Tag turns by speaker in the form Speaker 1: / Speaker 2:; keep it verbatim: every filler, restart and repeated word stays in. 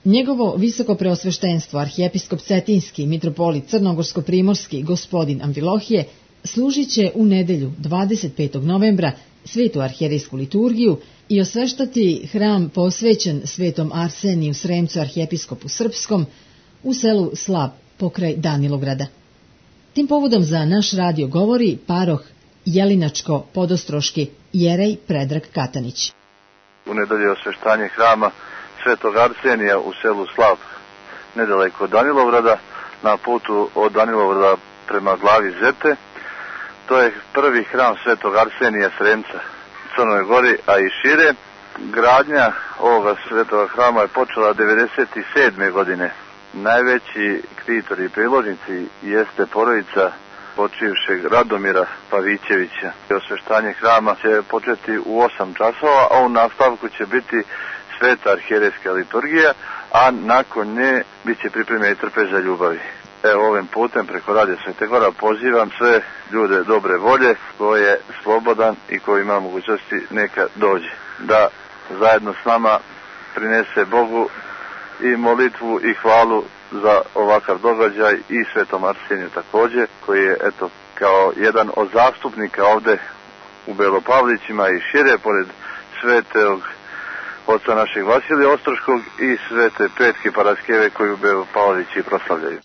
Speaker 1: Njegovo visoko preosveštenstvo, arhijepiskop Cetinski, mitropolit Crnogorsko-primorski, gospodin Amfilohije, služit će u nedelju dvadeset petog novembra svetu arhijerejsku liturgiju i osveštati hram posvećen svetom Arseniju Sremcu arhijepiskopu Srpskom u selu Slab pokraj Danilovgrada. Tim povodom za naš radio govori paroh Jelinačko-Podostroški jerej Predrag Katanić.
Speaker 2: U nedelju je osveštanje hrama svetog Arsenija u selu Slab, nedaleko od Danilovgrada, na putu od Danilovgrada prema glavi Zete. To je prvi hram svetog Arsenija Sremca u Crnoj Gori, a i šire. Gradnja ovoga svetoga hrama je počela devedeset sedme godine. Najveći ktitor i priložnici jeste porodica počivšeg Radomira Pavićevića. Osveštanje hrama će početi u osam časova, a u nastavku će biti sveta arhijerejska liturgija, a nakon nje bit će pripremljena i trpeza ljubavi. Evo, ovim putem preko Radija Svete Gora pozivam sve ljude dobre volje, ko je slobodan i ko ima mogućnosti neka dođe, da zajedno s nama prinese Bogu i molitvu i hvalu za ovakav događaj i svetom Arseniju također, koji je eto kao jedan od zastupnika ovde u Belopavlićima i šire, pored svetog oca našeg Vasilija Ostroškog i svete Petke Paraskeve koju Belopavlići proslavljaju.